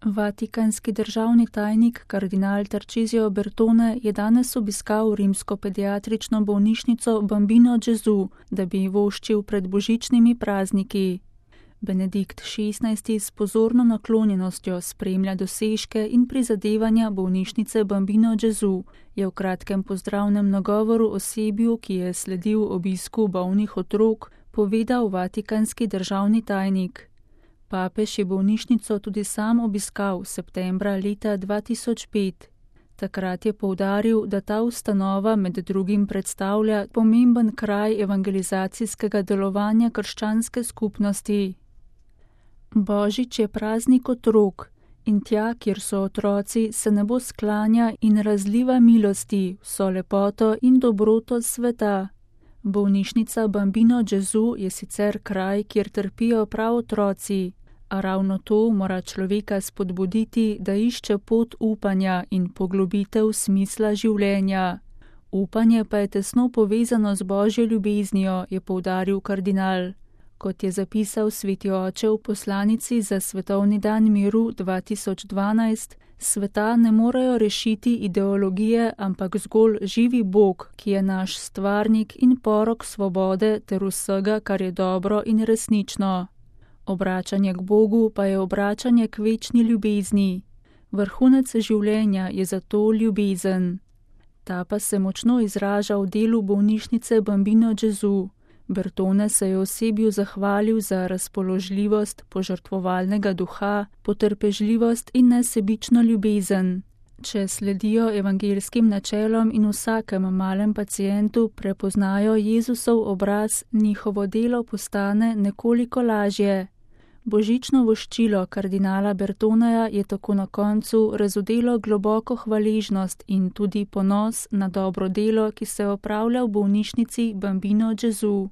Vatikanski državni tajnik kardinal Tarcisio Bertone je danes obiskal rimsko pediatrično bolnišnico Bambino Gesù, da bi voščil pred božičnimi prazniki. Benedikt XVI. S pozorno naklonjenostjo spremlja dosežke in prizadevanja bolnišnice Bambino Gesù, je v kratkem pozdravnem nagovoru osebju, ki je sledil obisku bolnih otrok, povedal vatikanski državni tajnik. Papež je bolnišnico tudi sam obiskal septembra leta 2005. Takrat je poudaril, da ta ustanova med drugim predstavlja pomemben kraj evangelizacijskega delovanja krščanske skupnosti. Božič je praznik otrok in tja, kjer so otroci, se nebo sklanja in razliva milosti, vso lepoto in dobroto sveta. Bolnišnica Bambino Gesù je sicer kraj, kjer trpijo prav otroci, a ravno to mora človeka spodbuditi, da išče pot upanja in poglobitev smisla življenja. Upanje pa je tesno povezano z Božjo ljubeznijo, je poudaril kardinal. Kot je zapisal sveti oče v poslanici za svetovni dan miru 2012, sveta ne morejo rešiti ideologije, ampak zgolj živi Bog, ki je naš stvarnik in porok svobode ter vsega, kar je dobro in resnično. Obračanje k Bogu pa je obračanje k večni ljubezni. Vrhunec življenja je zato ljubezen. Ta pa se močno izraža v delu bolnišnice Bambino Gesù. Bertone se je osebju zahvalil za razpoložljivost, požrtvovalnega duha, potrpežljivost in nesebično ljubezen. Če sledijo evangeljskim načelom in vsakem malem pacientu prepoznajo Jezusov obraz, njihovo delo postane nekoliko lažje. Božično voščilo kardinala Bertoneja je tako na koncu razodelo globoko hvaležnost in tudi ponos na dobro delo, ki se opravlja v bolnišnici Bambino Gesù.